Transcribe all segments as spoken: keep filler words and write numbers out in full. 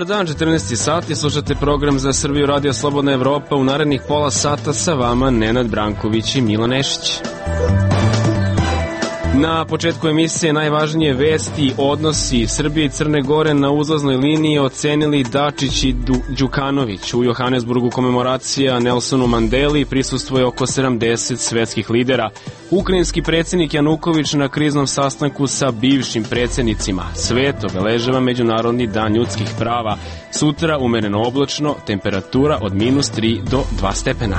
Dobar dan, četrnaesti sati, slušate program za Srbiju Radio Slobodna Evropa. U narednih pola sata sa vama Nenad Branković i Milo Nešić. Na početku emisije najvažnije vesti, odnosi Srbije i Crne Gore na uzlaznoj liniji ocenili Dačić i Đukanović. U Johannesburgu komemoracija Nelsonu Mandeli, prisustvuje oko sedamdeset svetskih lidera. Ukrajinski predsjednik Januković na kriznom sastanku sa bivšim predsjednicima. Svet obeležava Međunarodni dan ljudskih prava. Sutra umereno oblačno, temperatura od minus tri do dva stepena.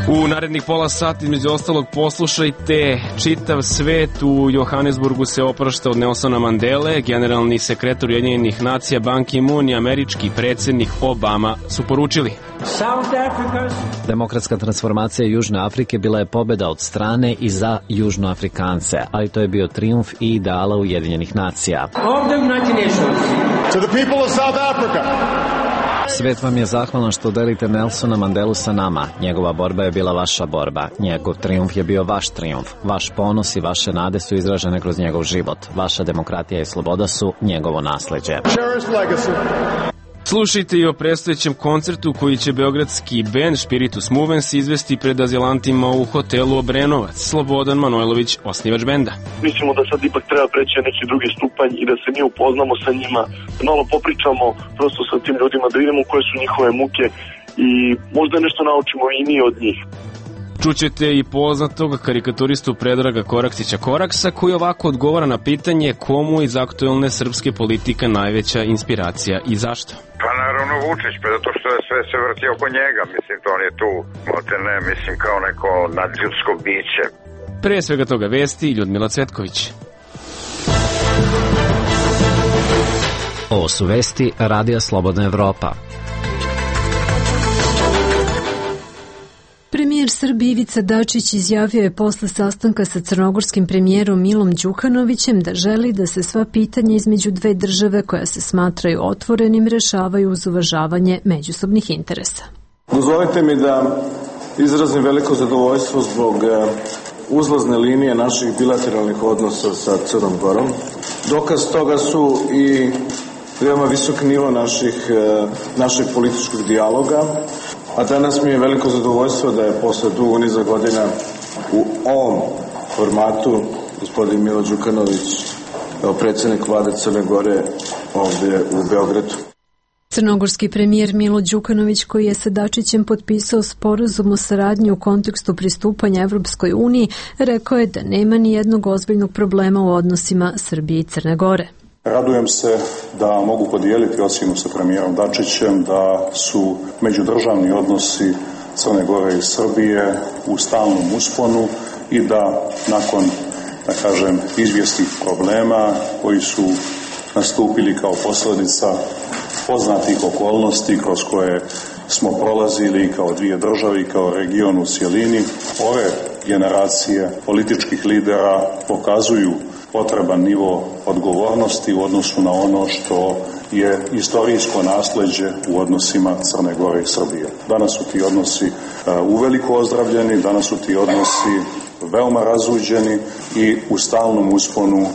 U narednih pola sati, između ostalog, poslušajte: čitav svet u Johannesburgu se oprašta od Nelsona Mandele, generalni sekretar Ujedinjenih nacija Ban Ki-moon i američki predsjednik Obama su poručili: Demokratska transformacija Južne Afrike bila je pobjeda od strane i za Južnoafrikance, ali to je bio trijumf i ideala Ujedinjenih nacija. To the people of South Africa. Svet vam je zahvalan što delite Nelsona Mandelu sa nama. Njegova borba je bila vaša borba. Njegov trijumf je bio vaš trijumf. Vaš ponos i vaše nade su izražene kroz njegov život. Vaša demokratija i sloboda su njegovo nasleđe. Slušajte i o predstojećem koncertu koji će beogradski bend Spiritus Movens izvesti pred azilantima u hotelu Obrenovac. Slobodan Manojlović, osnivač benda. Mislimo da sad ipak treba preći na neki drugi stupanj i da se mi upoznamo sa njima, da malo popričamo prosto sa tim ljudima, da vidimo koje su njihove muke i možda nešto naučimo i mi od njih. Čućete i poznatog karikaturistu Predraga Koraksića Koraksa, koji ovako odgovara na pitanje komu iz aktuelne srpske politike najveća inspiracija i zašto. Pa naravno Vučić, pa zato što je sve se vrti oko njega, mislim, to on je tu, ne, mislim, kao neko nadljudsko biće. Pre svega toga vesti, Ljudmila Cvetković. Ovo su vesti Radija Slobodna Evropa. Premijer Srbije Ivica Dačić izjavio je posle sastanka sa crnogorskim premijerom Milom Đukanovićem da želi da se sva pitanja između dve države koja se smatraju otvorenim rešavaju uz uvažavanje međusobnih interesa. Dozvolite mi da izrazim veliko zadovoljstvo zbog uzlazne linije naših bilateralnih odnosa sa Crnom Gorom. Dokaz toga su i veoma visok nivo naših, našeg političkog dijaloga, a danas mi je veliko zadovoljstvo da je posle dugo niza godina u ovom formatu gospodin Milo Đukanović, kao predsjednik vlade Crne Gore, ovdje u Beogradu. Crnogorski premijer Milo Đukanović, koji je sa Dačićem potpisao sporazum o saradnji u kontekstu pristupanja Evropskoj uniji, rekao je da nema ni jednog ozbiljnog problema u odnosima Srbije i Crne Gore. Radujem se da mogu podijeliti ocjenu sa premijerom Dačićem da su međudržavni odnosi Crne Gore i Srbije u stalnom usponu i da nakon, da kažem, izvjesnih problema koji su nastupili kao posljedica poznatih okolnosti kroz koje smo prolazili kao dvije države i kao region u cjelini, ove generacije političkih lidera pokazuju potreban nivo odgovornosti u odnosu na ono što je istorijsko nasleđe u odnosima Crne Gore i Srbije. Danas su ti odnosi uveliko ozdravljeni, danas su ti odnosi veoma razuđeni i u stalnom usponu.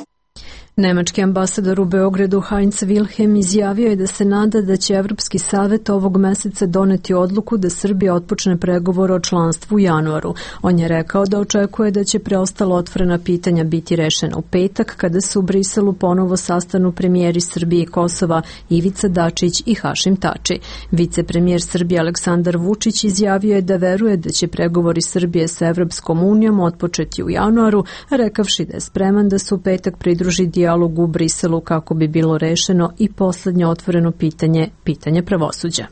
Nemački ambasador u Beogradu Heinz Wilhelm izjavio je da se nada da će Evropski savet ovog meseca doneti odluku da Srbija otpočne pregovor o članstvu u januaru. On je rekao da očekuje da će preostala otvorena pitanja biti rešena u petak kada se u Briselu ponovo sastanu premijeri Srbije i Kosova Ivica Dačić i Hašim Tači. Vicepremijer Srbije Aleksandar Vučić izjavio je da veruje da će pregovori Srbije sa Evropskom unijom otpočeti u januaru, rekavši da je spreman da se u petak pridruži dijalog u Briselu kako bi bilo rešeno i poslednje otvoreno pitanje, pitanje pravosuđa.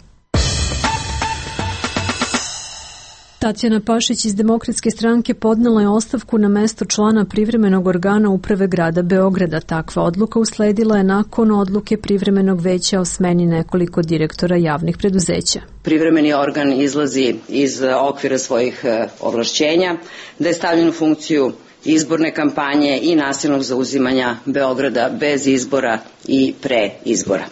Tatjana Pašić iz Demokratske stranke podnela je ostavku na mesto člana privremenog organa uprave grada Beograda. Takva odluka usledila je nakon odluke privremenog veća o smeni nekoliko direktora javnih preduzeća. Privremeni organ izlazi iz okvira svojih ovlašćenja, da je stavljen u funkciju izborne kampanje i nasilnog zauzimanja Beograda bez izbora i pre izbora.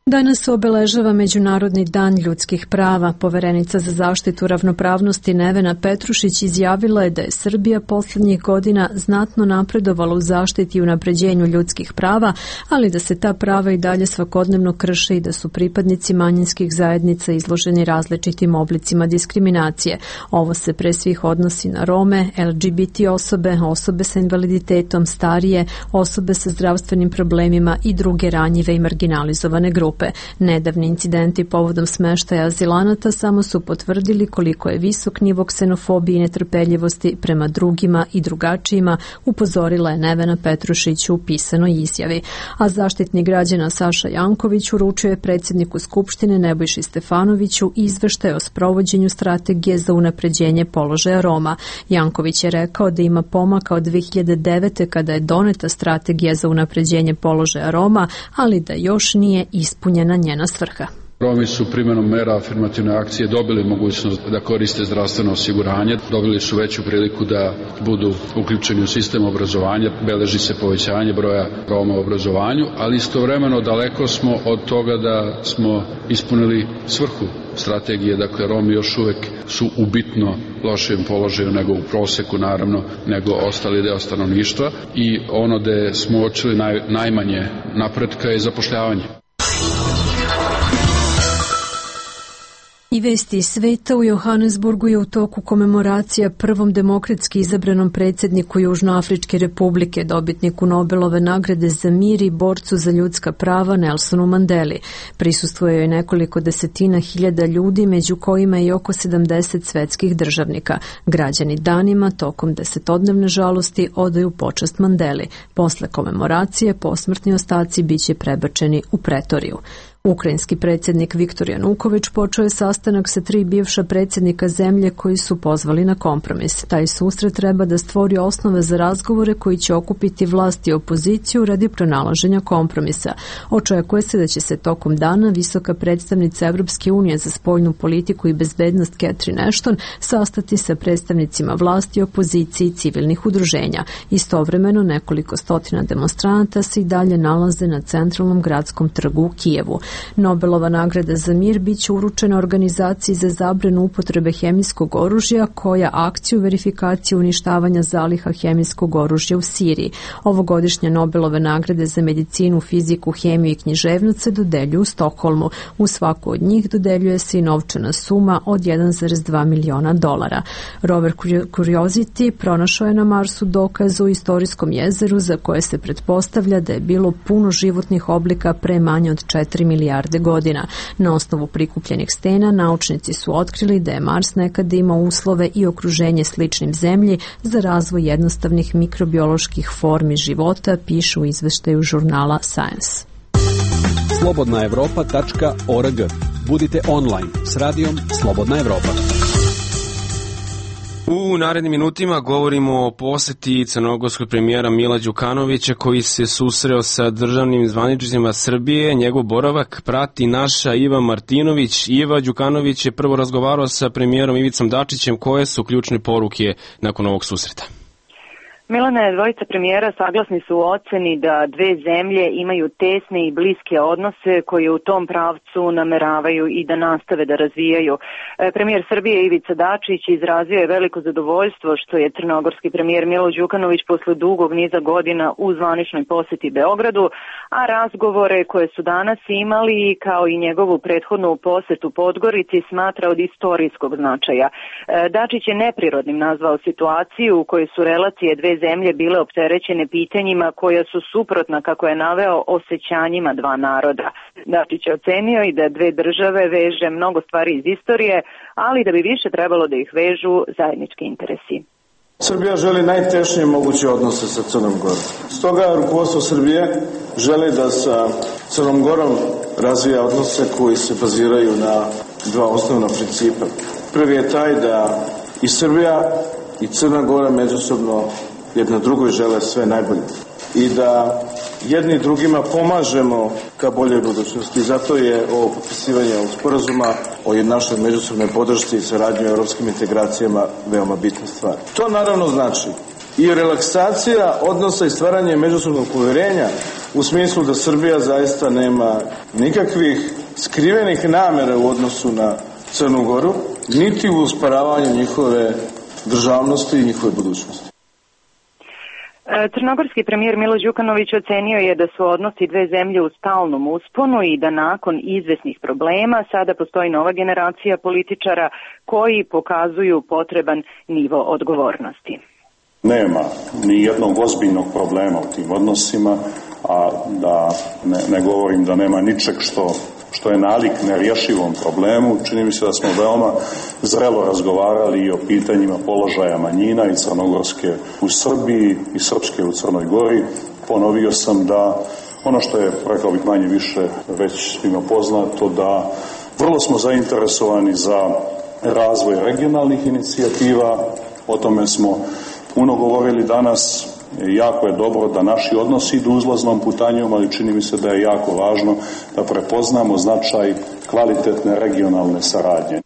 Danas se obeležava Međunarodni dan ljudskih prava. Poverenica za zaštitu ravnopravnosti Nevena Petrušić izjavila je da je Srbija poslednjih godina znatno napredovala u zaštiti i unapređenju ljudskih prava, ali da se ta prava i dalje svakodnevno krše i da su pripadnici manjinskih zajednica izloženi različitim oblicima diskriminacije. Ovo se pre svih odnosi na Rome, L G B T osobe, osobe sa invaliditetom, starije, osobe sa zdravstvenim problemima i druge ranjive i marginalizovane grupe. Nedavni incidenti povodom smeštaja azilanata samo su potvrdili koliko je visok nivo ksenofobije i netrpeljivosti prema drugima i drugačijima, upozorila je Nevena Petrušić u pisanoj izjavi. A zaštitnik građana Saša Janković uručio je predsjedniku Skupštine Nebojši Stefanoviću izveštaj o sprovođenju strategije za unapređenje položaja Roma. Janković je rekao da ima pomaka od dve hiljade devete kada je doneta strategija za unapređenje položaja Roma, ali da još nije ispunjena njena njena svrha. Romi su primjenom mera afirmativne akcije dobili mogućnost da koriste zdravstveno osiguranje, dobili su veću priliku da budu uključeni u sistem obrazovanja, beleži se povećanje broja Roma u obrazovanju, ali istovremeno daleko smo od toga da smo ispunili svrhu strategije, dakle Romi još uvek su u bitno lošijem položaju nego u proseku, naravno, nego ostali deo stanovništva i ono gde smo uočili naj, najmanje napretka je zapošljavanje. I vesti iz sveta. U Johannesburgu je u toku komemoracija prvom demokratski izabranom predsjedniku Južnoafričke republike, dobitniku Nobelove nagrade za mir i borcu za ljudska prava Nelsonu Mandeli. Prisustvuje joj nekoliko desetina hiljada ljudi, među kojima je i oko sedamdeset svetskih državnika. Građani danima tokom desetodnevne žalosti odaju počast Mandeli. Posle komemoracije posmrtni ostaci biće prebačeni u Pretoriju. Ukrajinski predsjednik Viktor Januković počeo je sastanak sa tri bivša predsjednika zemlje koji su pozvali na kompromis. Taj susret treba da stvori osnove za razgovore koji će okupiti vlast i opoziciju radi pronalaženja kompromisa. Očekuje se da će se tokom dana visoka predstavnica Evropske unije za spoljnu politiku i bezbednost Catherine Ashton sastati sa predstavnicima vlasti, opozicije i civilnih udruženja. Istovremeno nekoliko stotina demonstranata se i dalje nalaze na centralnom gradskom trgu u Kijevu. Nobelova nagrada za mir biće uručena organizaciji za zabranu upotrebe hemijskog oružja koja akciju verifikacije uništavanja zaliha hemijskog oružja u Siriji. Ovogodišnje Nobelove nagrade za medicinu, fiziku, hemiju i književnost se dodeljuju u Stokholmu. U svaku od njih dodeljuje se i novčana suma od jedan zarez dva miliona dolara. Rover Curiosity pronašao je na Marsu dokaz o istorijskom jezeru za koje se pretpostavlja da je bilo puno životnih oblika pre manje od četiri milijarde godina. Na osnovu prikupljenih stena naučnici su otkrili da je Mars nekada imao uslove i okruženje sličnim Zemlji za razvoj jednostavnih mikrobioloških formi života, pišu u izveštaju žurnala Science. slobodna evropa tačka org. Budite online s radijom Slobodna Evropa. U narednim minutima govorimo o poseti crnogorskog premijera Mila Đukanovića koji se susreo sa državnim zvaničnicima Srbije. Njegov boravak prati naša Iva Martinović. Iva, Đukanović je prvo razgovarao sa premijerom Ivicom Dačićem. Koje su ključne poruke nakon ovog susreta? Milane, dvojica premijera saglasni su u oceni da dve zemlje imaju tesne i bliske odnose koje u tom pravcu nameravaju i da nastave da razvijaju. Premijer Srbije Ivica Dačić izrazio je veliko zadovoljstvo što je crnogorski premijer Milo Đukanović posle dugog niza godina u zvaničnoj poseti Beogradu, a razgovore koje su danas imali kao i njegovu prethodnu posetu Podgorici smatra od istorijskog značaja. Dačić je neprirodnim nazvao situaciju u kojoj su relacije dve zemlje bile opterećene pitanjima koja su suprotna, kako je naveo, osjećanjima dva naroda. Dačić je ocenio i da dve države veže mnogo stvari iz istorije, ali da bi više trebalo da ih vežu zajednički interesi. Srbija želi najtešnije moguće odnose sa Crnom Gorom. Stoga rukovodstvo Srbije želi da sa Crnom Gorom razvija odnose koji se baziraju na dva osnovna principa. Prvi je taj da i Srbija i Crna Gora međusobno jedna drugoj žele sve najbolje i da jedni drugima pomažemo ka boljoj budućnosti. Zato je ovo potpisivanje ovog sporazuma o našoj međusobnoj podršci i saradnji u evropskim integracijama veoma bitna stvar. To naravno znači i relaksacija odnosa i stvaranje međusobnog poverenja u smislu da Srbija zaista nema nikakvih skrivenih namera u odnosu na Crnu Goru, niti u usparavanju njihove državnosti i njihove budućnosti. Crnogorski premijer Milo Đukanović ocenio je da su odnosi dve zemlje u stalnom usponu i da nakon izvesnih problema sada postoji nova generacija političara koji pokazuju potreban nivo odgovornosti. Nema ni jednog ozbiljnog problema u tim odnosima, a da ne, ne govorim da nema ničeg što, što je nalik nerješivom problemu. Čini mi se da smo veoma zrelo razgovarali i o pitanjima položaja manjina i crnogorske u Srbiji i srpske u Crnoj Gori. Ponovio sam da ono što je, rekao bih manje više, već svima poznato, da vrlo smo zainteresovani za razvoj regionalnih inicijativa. O tome smo puno govorili danas. Jako je dobro da naši odnosi idu uzlaznom putanjom, ali čini mi se da je jako važno da prepoznamo značaj kvalitetne regionalne saradnje.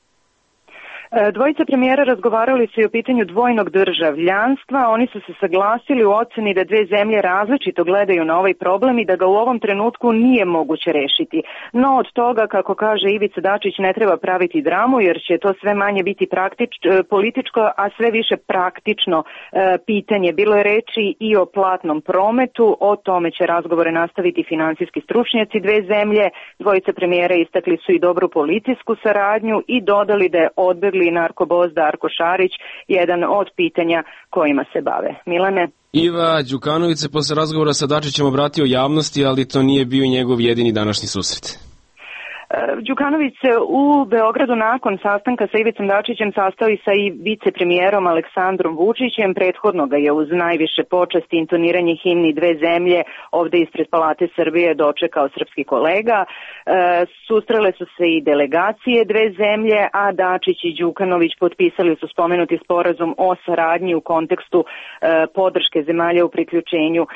Dvojica premijera razgovarali su i o pitanju dvojnog državljanstva. Oni su se saglasili u oceni da dve zemlje različito gledaju na ovaj problem i da ga u ovom trenutku nije moguće rešiti. No od toga, kako kaže Ivica Dačić, ne treba praviti dramu jer će to sve manje biti praktič, političko, a sve više praktično e, pitanje. Bilo je reči i o platnom prometu, o tome će razgovore nastaviti finansijski stručnjaci dve zemlje. Dvojica premijera istakli su i dobru policijsku saradnju i dodali da je odbegli i narkoboz Darko Šarić jedan od pitanja kojima se bave. Milane? Iva Đukanović se posle razgovora sa Dačićem obratio javnosti, ali to nije bio njegov jedini današnji susret. Đukanović se u Beogradu nakon sastanka sa Ivicom Dačićem sastao i sa i vicepremijerom Aleksandrom Vučićem. Prethodno ga je uz najviše počasti intoniranje himni dve zemlje ovde ispred Palate Srbije dočekao srpski kolega. E, sustrele su se i delegacije dve zemlje, a Dačić i Đukanović potpisali su spomenuti sporazum o saradnji u kontekstu e, podrške zemalja u priključenju e,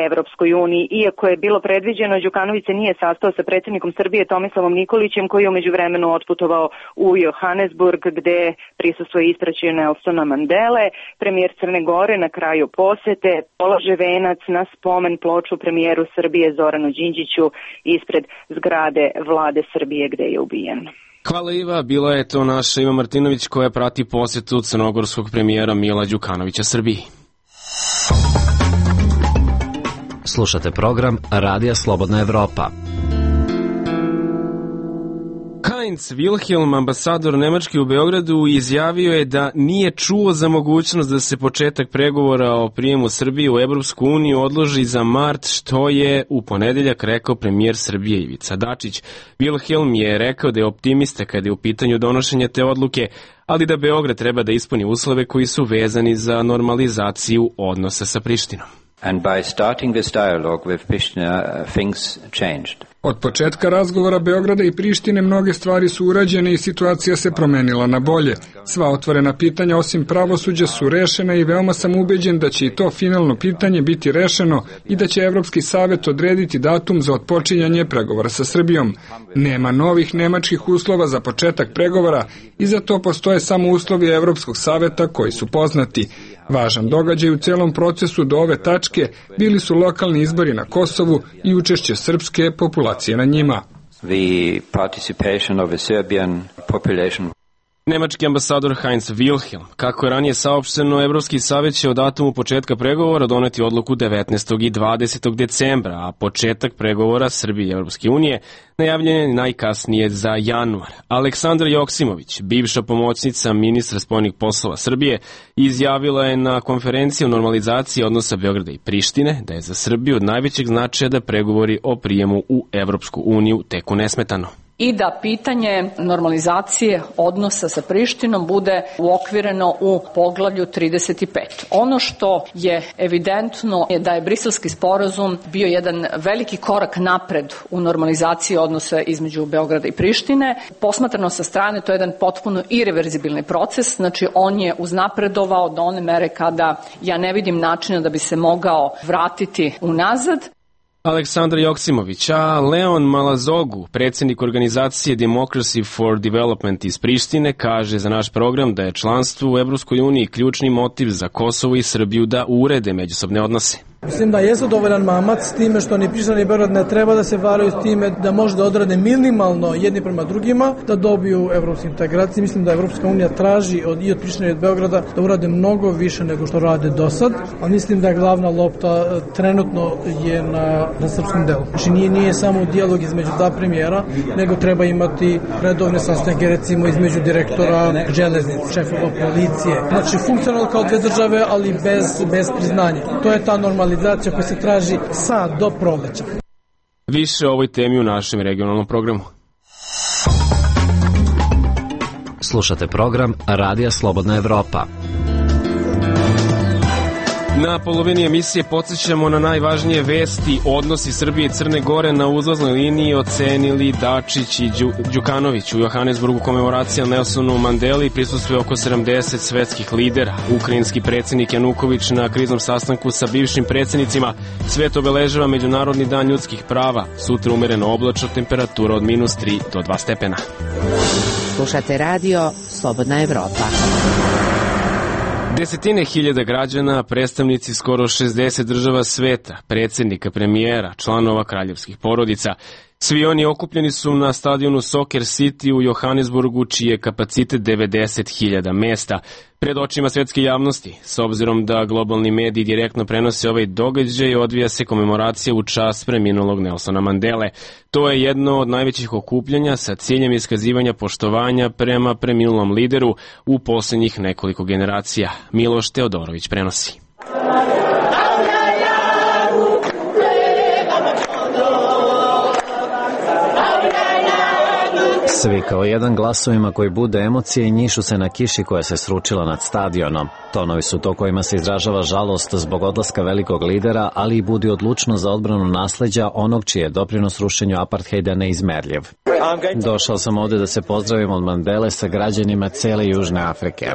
Evropskoj uniji. Iako je bilo predviđeno, Đukanović se nije sastao sa predsjednikom Srbije Tomislavom Nikolićem, koji je umeđu vremenu otputovao u Johannesburg, gde prisustvuje ispraćaju Nelsona Mandele. Premijer Crne Gore na kraju posete polaže venac na spomen ploču premijeru Srbije Zoranu Đinđiću ispred zgrade vlade Srbije gde je ubijen. Hvala Iva, bila je to naša Iva Martinović koja prati posetu crnogorskog premijera Mila Đukanovića Srbiji. Slušate program Radija Slobodna Evropa. Heinz Wilhelm, ambasador Nemačke u Beogradu, izjavio je da nije čuo za mogućnost da se početak pregovora o prijemu Srbije u Evropsku uniju odloži za mart, što je u ponedeljak rekao premijer Srbije Ivica Dačić. Wilhelm je rekao da je optimista kada je u pitanju donošenja te odluke, ali da Beograd treba da ispuni uslove koji su vezani za normalizaciju odnosa sa Prištinom. And by starting this dialogue with Pristina, uh, things changed. Od početka razgovora Beograda i Prištine mnoge stvari su urađene i situacija se promenila na bolje. Sva otvorena pitanja osim pravosuđa su rešena i veoma sam ubeđen da će i to finalno pitanje biti rešeno i da će Evropski savet odrediti datum za otpočinjanje pregovora sa Srbijom. Nema novih nemačkih uslova za početak pregovora i za to postoje samo uslovi Evropskog saveta koji su poznati. Važan događaj u celom procesu do ove tačke bili su lokalni izbori na Kosovu i učešće srpske populacije na njima. The participation of the Serbian population. Nemački ambasador Heinz Wilhelm. Kako je ranije saopšteno, Evropski savjet će o datumu početka pregovora doneti odluku devetnaestog i dvadesetog decembra, a početak pregovora Srbije i Evropske unije najavljen je najkasnije za januar. Aleksandra Joksimović, bivša pomoćnica ministra spoljnih poslova Srbije, izjavila je na konferenciji o normalizaciji odnosa Beograda i Prištine da je za Srbiju od najvećeg značaja da pregovori o prijemu u Evropsku uniju teku nesmetano. I da pitanje normalizacije odnosa sa Prištinom bude uokvireno u poglavlju trideset pet. Ono što je evidentno je da je Briselski sporazum bio jedan veliki korak napred u normalizaciji odnosa između Beograda i Prištine. Posmatrano sa strane, to je jedan potpuno irreverzibilni proces, znači on je uznapredovao do one mere kada ja ne vidim načina da bi se mogao vratiti unazad. Aleksandar Joksimović, a Leon Malazogu, predsjednik organizacije Democracy for Development iz Prištine, kaže za naš program da je članstvo u Evropskoj uniji ključni motiv za Kosovo i Srbiju da urede međusobne odnose. Mislim da jesu dovoljan mamac s time što ni Priština ni Beograd ne treba da se varaju s time da može da odrade minimalno jedni prema drugima da dobiju evropske integracije. Mislim da Evropska unija traži od, i od Prištine i od Beograda da urade mnogo više nego što rade do sad, a mislim da je glavna lopta trenutno je na, na srpskom delu. Znači nije, nije samo dijalog između dva premijera, nego treba imati redovne sastanke recimo između direktora železnice, šefova policije. Znači funkcionalno kao dve države, ali bez, bez priznanja. To je ta normalizacija koja se traži sad do proleća. Više o ovoj temi u našem regionalnom programu. Slušate program Radija Slobodna Evropa. Na polovini emisije podsjećamo na najvažnije vesti. Odnosi Srbije i Crne Gore na uzlaznoj liniji ocenili Dačić i Đu, Đukanović. U Johannesburgu komemoracija Nelsonu Mandeli, prisustvuje oko sedamdeset svetskih lidera. Ukrajinski predsjednik Januković na kriznom sastanku sa bivšim predsjednicima. Svet obeležava Međunarodni dan ljudskih prava. Sutra umereno oblačno, temperatura od minus tri do dva stepena. Slušate radio Slobodna Evropa. Desetine hiljada građana, predstavnici skoro šezdeset država sveta, predsjednika, premijera, članova kraljevskih porodica. Svi oni okupljeni su na stadionu Soccer City u Johannesburgu, čiji je kapacitet devedeset hiljada mesta. Pred očima svetske javnosti, s obzirom da globalni mediji direktno prenose ovaj događaj, odvija se komemoracija u čast preminulog Nelsona Mandele. To je jedno od najvećih okupljanja sa ciljem iskazivanja poštovanja prema preminulom lideru u posljednjih nekoliko generacija. Miloš Teodorović prenosi. Svi kao jedan glasovima koji bude emocije i njišu se na kiši koja se sručila nad stadionom. Tonovi su to kojima se izražava žalost zbog odlaska velikog lidera, ali i budi odlučno za odbranu nasleđa onog čiji je doprinos rušenju apartheida neizmerljiv. Došao sam ovde da se pozdravim od Mandele sa građanima cele Južne Afrike.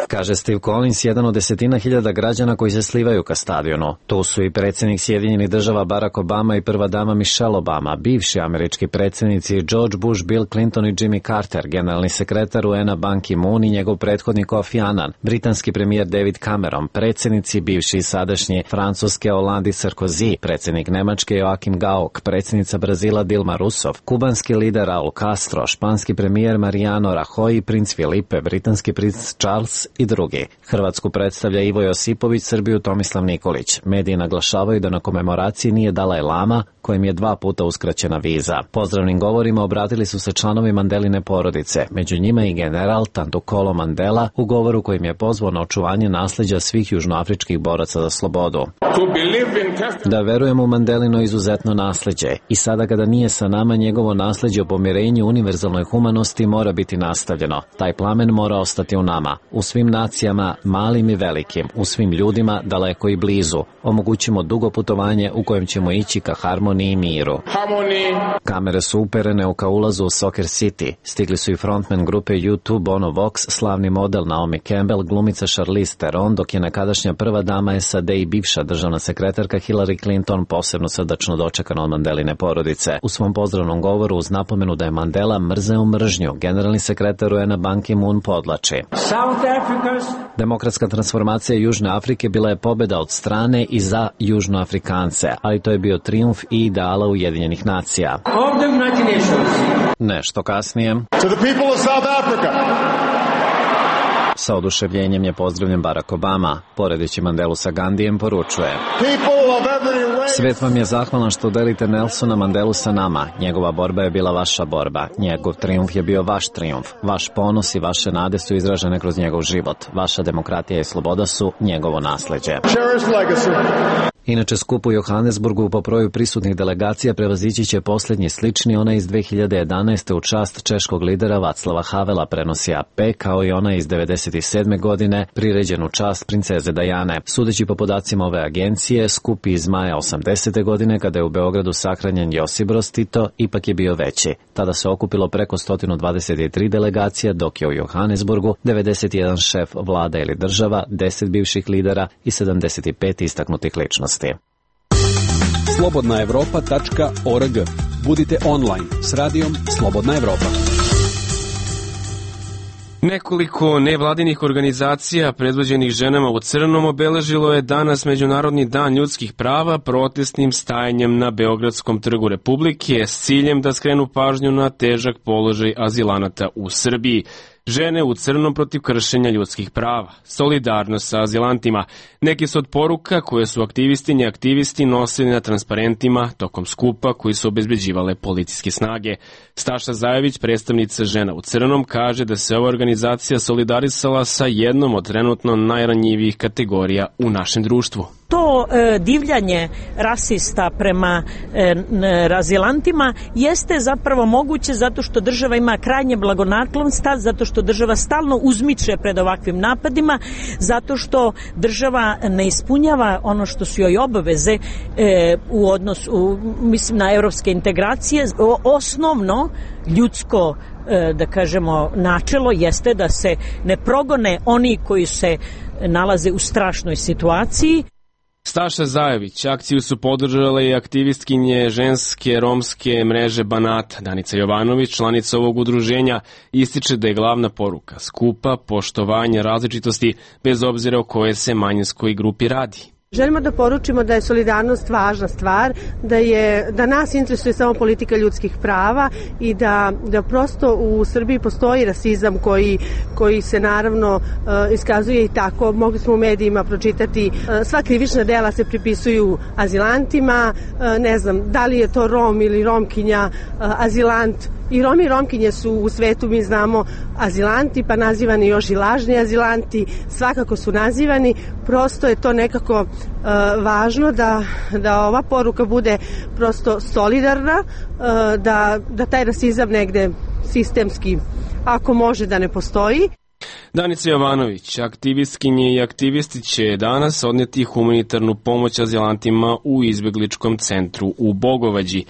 Kaže Steve Collins, jedan od desetina hiljada građana koji se slivaju ka stadionu. Tu su i predsjednik Sjedinjenih država Barack Obama i prva dama Michelle Obama, bivši američki predsjednici George Bush, Bill Clinton i Jimmy Carter, generalni sekretar U N-a Ban Ki-moon i njegov prethodnik Kofi Annan, britanski premijer David Cameron, predsjednici bivši i sadašnji Francuske Hollande Sarkozy, predsjednik Nemačke Joachim Gauck, predsjednica Brazila Dilma Rousseff, kubanski lider Raul Castro, španski premijer Mariano Rajoy, princ Filipe, britanski princ Charles i drugi. Hrvatsku predstavlja Ivo Josipović, Srbiju Tomislav Nikolić. Mediji naglašavaju da na komemoraciji nije Dalaj Lama, kojim je dva puta uskraćena viza. Pozdravnim govorima obratili su se članovi Mandeline porodice, među njima i general Tandukolo Mandela, u govoru kojim je pozvao na očuvanje nasleđa svih južnoafričkih boraca za slobodu. Da verujemo u Mandelino izuzetno nasleđe i sada kada nije sa nama, njegovo nasleđe o pomirenju univerzalnoj humanosti mora biti nastavljeno. Taj plamen mora ostati u nama, u svim nacijama, malim i velikim, u svim ljudima, daleko i blizu. Omogućimo dugo putovanje u kojem ćemo ići ka harmoniji i miru. Kamere su uperene u ka ulazu u Soccer City. Stigli su i frontman grupe U dva Bono Vox, slavni model Naomi Campbell, glumica Charlize Theron, dok je nekadašnja prva dama S A D i bivša državna sekretarka Hillary Clinton posebno srdačno dočekana od Mandeline porodice. U svom pozdravnom govoru uz napomenu da je Mandela mrzeo mržnju, generalni sekretar U N-a Ban Ki-moon podlači. Demokratska transformacija Južne Afrike bila je pobjeda od strane i za Južnoafrikance, ali to je bio trijumf i ideala Ujedinjenih nacija. Nešto kasnije. To the people of South Africa. Sa oduševljenjem je pozdravljen Barack Obama. Poredeći Mandelu sa Gandijem poručuje: Svet vam je zahvalan što delite Nelsona Mandelu sa nama. Njegova borba je bila vaša borba. Njegov trijumf je bio vaš trijumf. Vaš ponos i vaše nade su izražene kroz njegov život. Vaša demokratija i sloboda su njegovo nasleđe. Inače, skup u Johannesburgu po broju prisutnih delegacija prevazići će posljednji slični, ona iz dve hiljade jedanaeste u čast češkog lidera Vaclava Havela, prenosi A P, kao i ona iz devedeset sedme godine priređen u čast princeze Dajane. Sudeći po podacima ove agencije, skup iz maja osamdesete godine, kada je u Beogradu sahranjen Josip Broz Tito, ipak je bio veći. Tada se okupilo preko sto dvadeset tri delegacija, dok je u Johannesburgu devedeset jedan šef vlada ili država, deset bivših lidera i sedamdeset pet istaknutih ličnosti. slobodna evropa tačka org. Budite online s radijom Slobodna Evropa. Nekoliko nevladinih organizacija predvođenih ženama u crnom obeležilo je danas Međunarodni dan ljudskih prava protestnim stajanjem na Beogradskom trgu Republike s ciljem da skrenu pažnju na težak položaj azilanata u Srbiji. Žene u crnom protiv kršenja ljudskih prava, solidarnost sa azilantima. Neki su od poruka koje su aktivistinje aktivisti nosili na transparentima tokom skupa koji su obezbeđivale policijske snage. Staša Zajević, predstavnica Žena u crnom, kaže da se ova organizacija solidarisala sa jednom od trenutno najranjivijih kategorija u našem društvu. To e, divljanje rasista prema e, azilantima jeste zapravo moguće zato što država ima krajnje blagonaklon stav, zato što država stalno uzmiče pred ovakvim napadima, zato što država ne ispunjava ono što su joj obaveze e, u odnosu, mislim, na evropske integracije. Osnovno ljudsko, e, da kažemo, načelo jeste da se ne progone oni koji se nalaze u strašnoj situaciji. Staša Zajević, akciju su podržale i aktivistkinje ženske romske mreže Banata. Danica Jovanović, članica ovog udruženja, ističe da je glavna poruka skupa poštovanje različitosti bez obzira o kojoj se manjinskoj grupi radi. Želimo da poručimo da je solidarnost važna stvar, da, je, da nas interesuje samo politika ljudskih prava i da, da prosto u Srbiji postoji rasizam koji, koji se naravno uh, iskazuje i tako. Mogli smo u medijima pročitati, uh, sva krivična dela se pripisuju azilantima, uh, ne znam da li je to Rom ili Romkinja, uh, azilant. I Romi i Romkinje su u svetu, mi znamo, azilanti, pa nazivani još i lažni azilanti, svakako su nazivani. Prosto je to nekako uh, važno da, da ova poruka bude prosto solidarna, uh, da, da taj rasizam negde sistemski, ako može, da ne postoji. Danica Jovanović, aktivistkinje i aktivisti će danas odneti humanitarnu pomoć azilantima u izbegličkom centru u Bogovađi.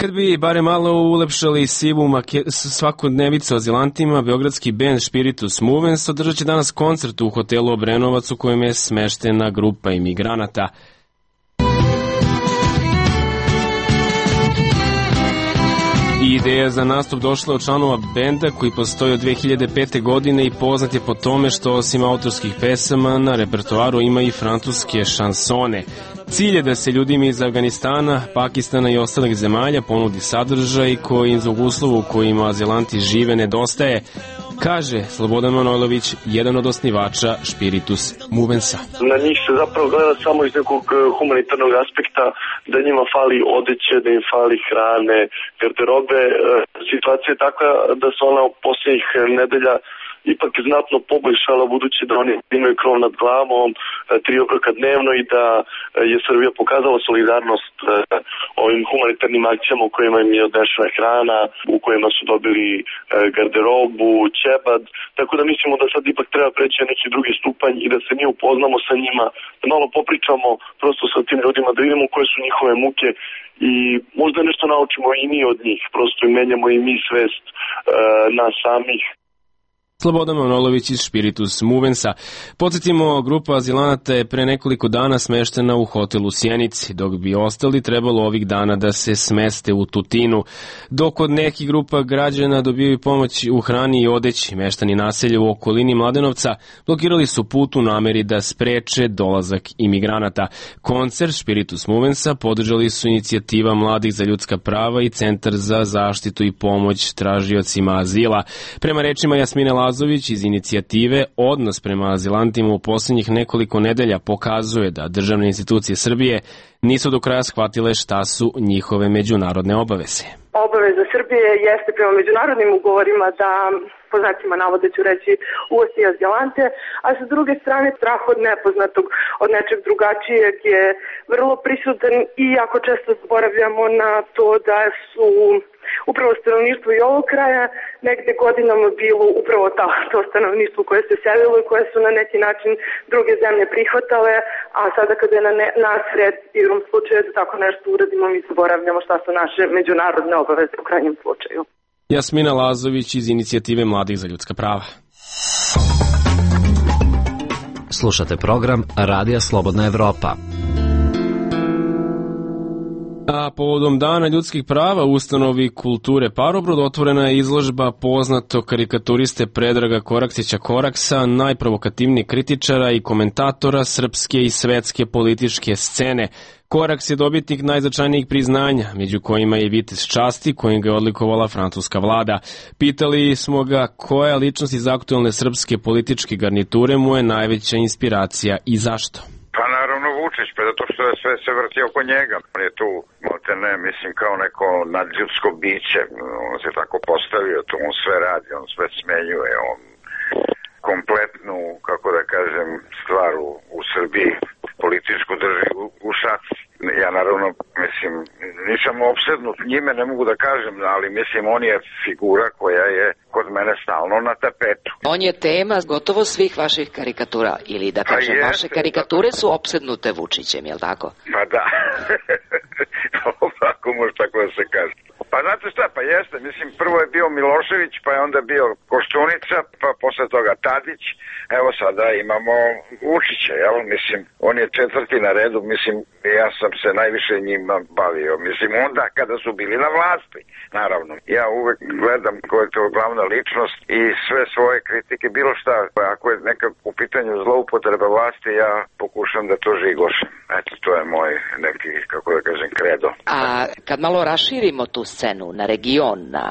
Kad bi bare malo ulepšali sivu svakodnevicu azilantima, beogradski bend Spiritus Movens održat će danas koncert u hotelu Obrenovac u kojem je smeštena grupa imigranata. I ideja za nastup došla od članova benda koji postoji od dve hiljade pete. godine i poznat je po tome što osim autorskih pesama na repertoaru ima i francuske šansone. Cilj je da se ljudima iz Afganistana, Pakistana i ostalih zemalja ponudi sadržaj koji im zbog uslova u kojima azilanti žive nedostaje, kaže Slobodan Manojlović, jedan od osnivača Spiritus Movensa. Na njih se zapravo gleda samo iz nekog humanitarnog aspekta, da njima fali odeće, da im fali hrane, garderobe. Situacija je takva da se ona u posljednjih nedelja ipak znatno poboljšala, budući da oni imaju krov nad glavom, tri obroka dnevno i da je Srbija pokazala solidarnost ovim humanitarnim akcijama u kojima im je odnešena hrana, u kojima su dobili garderobu, ćebad, tako da mislimo da sad ipak treba preći na neki drugi stupanj i da se mi upoznamo sa njima, da malo popričamo prosto sa tim ljudima, da vidimo koje su njihove muke i možda nešto naučimo i mi od njih, prosto i menjamo i mi svest nas samih. Slobodan Manojlović iz Spiritus Movensa. Podsjetimo, grupa azilanata je pre nekoliko dana smeštena u hotelu Sjenici, dok bi ostali trebalo ovih dana da se smeste u Tutinu. Dok od nekih grupa građana dobiju pomoć u hrani i odeći, meštani naselja u okolini Mladenovca blokirali su put u nameri da spreče dolazak imigranata. Koncert Spiritus Movensa podržali su inicijativa Mladih za ljudska prava i Centar za zaštitu i pomoć tražiocima azila. Prema rečima Jasmine Lazović iz inicijative, odnos prema azilantima u posljednjih nekoliko nedelja pokazuje da državne institucije Srbije nisu do kraja shvatile šta su njihove međunarodne obaveze. Obaveza Srbije jeste prema međunarodnim ugovorima da, po znacima navoda ću reći, uvosti azilante, a sa druge strane strah od nepoznatog, od nečeg drugačijeg je vrlo prisutan i jako često zaboravljamo na to da su upravo stanovništvo i ovog kraja negde godinama bilo upravo ta, to stanovništvo koje se selilo i koje su na neki način druge zemlje prihvatale, a sada kada je na ne, nas red igrom slučaja da tako nešto uradimo, mi zaboravljamo šta su naše međunarodne obaveze u krajnjem slučaju. Jasmina Lazović iz inicijative Mladih za ljudska prava. Slušate program Radija Slobodna Evropa. A povodom Dana ljudskih prava u ustanovi kulture Parobrod otvorena je izložba poznatog karikaturiste Predraga Koraksića Koraksa, najprovokativnijeg kritičara i komentatora srpske i svetske političke scene. Koraks je dobitnik najznačajnijih priznanja, među kojima je Vitez časti, kojim ga je odlikovala francuska vlada. Pitali smo ga koja ličnost iz aktuelne srpske političke garniture mu je najveća inspiracija i zašto. Pa naravno Vučić, pa zato što je sve se vrti oko njega. On je tu, ne, mislim, kao neko nadljudsko biće. On se tako postavio, tu on sve radi, on sve smenjuje, on kompletnu, kako da kažem, stvar u, u Srbiji političku drži u, u šaci. Ja naravno, mislim, nisam opsednut njime, ne mogu da kažem, ali mislim, on je figura koja je kod mene stalno na tapetu. On je tema gotovo svih vaših karikatura, ili da kažem, pa vaše karikature su opsednute Vučićem, jel tako? Pa da, ovako može tako da se kaže. Pa znate šta, pa jeste, mislim, prvo je bio Milošević, pa je onda bio Koštunica, pa posle toga Tadić, evo sada imamo Vučića, jel, mislim, on je četvrti na redu, mislim, ja sam se najviše njima bavio, mislim, onda kada su bili na vlasti, naravno. Ja uvek gledam ko je to glavna ličnost i sve svoje kritike, bilo šta, ako je neka u pitanju zloupotreba vlasti, ja pokušam da to žigošem. Eto, to je moj neki, kako da kažem, kredo. A kad malo raširimo tu scenu na region, na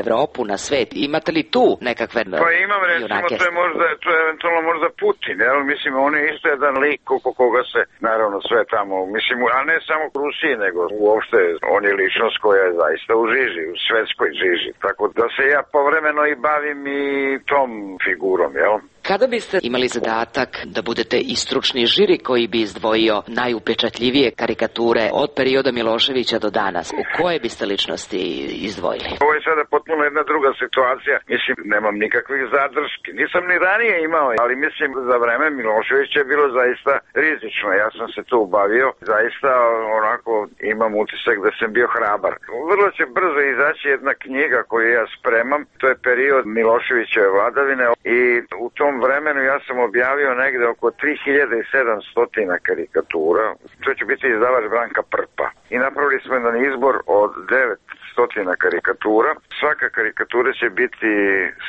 Evropu, na svet, imate li tu nekakve junake? Pa imam, recimo, to je možda, to je eventualno možda Putin, jel? Mislim, on je isto jedan lik oko koga se, naravno, sve tamo, mislim, a ne samo u Rusiji, nego uopšte on je ličnost koja je zaista u žiži, u svetskoj žiži. Tako da se ja povremeno i bavim i tom figurom, jel? Kada biste imali zadatak da budete i stručni žiri koji bi izdvojio najupečatljivije karikature od perioda Miloševića do danas, u koje biste ličnosti izdvojili? Ovo je sada potpuno jedna druga situacija. Mislim, nemam nikakvih zadrški. Nisam ni ranije imao, ali mislim, za vreme Miloševića je bilo zaista rizično. Ja sam se tu bavio. Zaista, onako, imam utisak da sam bio hrabar. Vrlo će brzo izaći jedna knjiga koju ja spremam. To je period Miloševićeve vladavine i u tom vremenu ja sam objavio negde oko tri hiljade sedamsto karikatura. To će biti izdavač Branka Prpa. I napravili smo jedan izbor od devetsto karikatura. Svaka karikatura će biti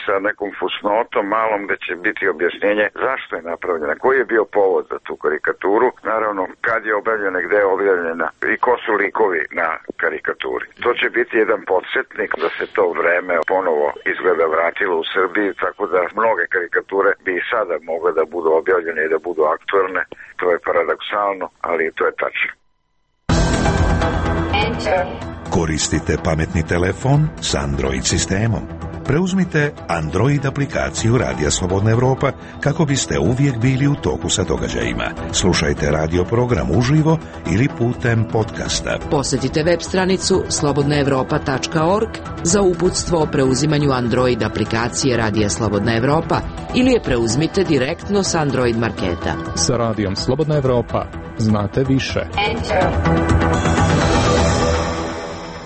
sa nekom fusnotom malom gde će biti objašnjenje zašto je napravljena, koji je bio povod za tu karikaturu, naravno kad je objavljena, gde je objavljena i ko su likovi na karikaturi. To će biti jedan podsjetnik da se to vreme ponovo izgleda vratilo u Srbiji, tako da mnoge karikature bi i sada mogle da budu objavljene i da budu aktuelne. To je paradoksalno, ali to je tačno. Koristite pametni telefon s Android sistemom. Preuzmite Android aplikaciju Radija Slobodna Evropa kako biste uvijek bili u toku sa događajima. Slušajte radio program uživo ili putem podcasta. Posjetite web stranicu slobodna evropa tačka org za uputstvo o preuzimanju Android aplikacije Radija Slobodna Evropa ili je preuzmite direktno s Android marketa. Sa Radijom Slobodna Evropa znate više.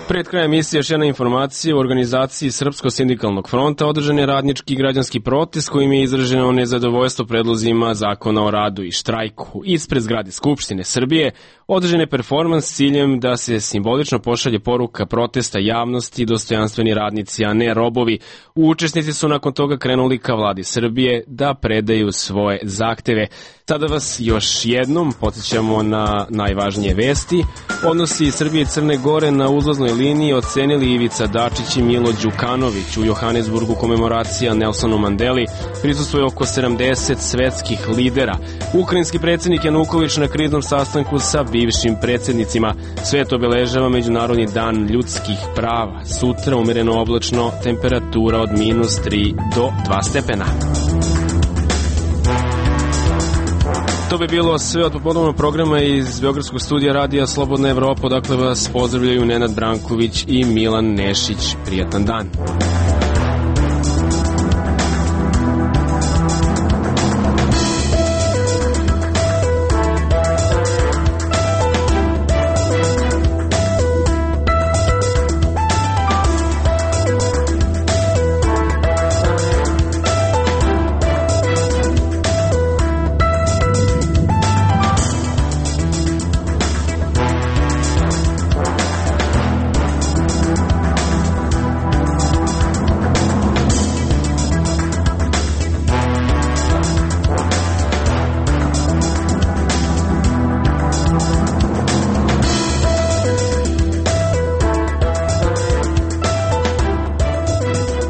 Pred krajem emisije još jedna informacija. U organizaciji Srpskog sindikalnog fronta održan je radnički i građanski protest kojim je izraženo nezadovoljstvo predlozima zakona o radu i štrajku. Ispred zgrade Skupštine Srbije održan je performans s ciljem da se simbolično pošalje poruka protesta javnosti, dostojanstveni radnici, a ne robovi. Učesnici su nakon toga krenuli ka vladi Srbije da predaju svoje zahteve. Sada vas još jednom podsjećamo na najvažnije vesti. Odnosi Srbije i Crne Gore na uzlaznoj liniji ocenili Ivica Dačić i Milo Đukanović. U Johannesburgu komemoracija Nelsonu Mandeli, prisustvuje oko sedamdeset svetskih lidera. Ukrajinski predsjednik Januković na kriznom sastanku sa bivšim predsjednicima. Svet obeležava Međunarodni dan ljudskih prava. Sutra umereno oblačno, temperatura od minus tri do dva stepena. To bi bilo sve od popodnevnog programa iz Beogradskog studija Radija Slobodna Evropa. Dakle vas pozdravljaju Nenad Branković i Milan Nešić. Prijatan dan.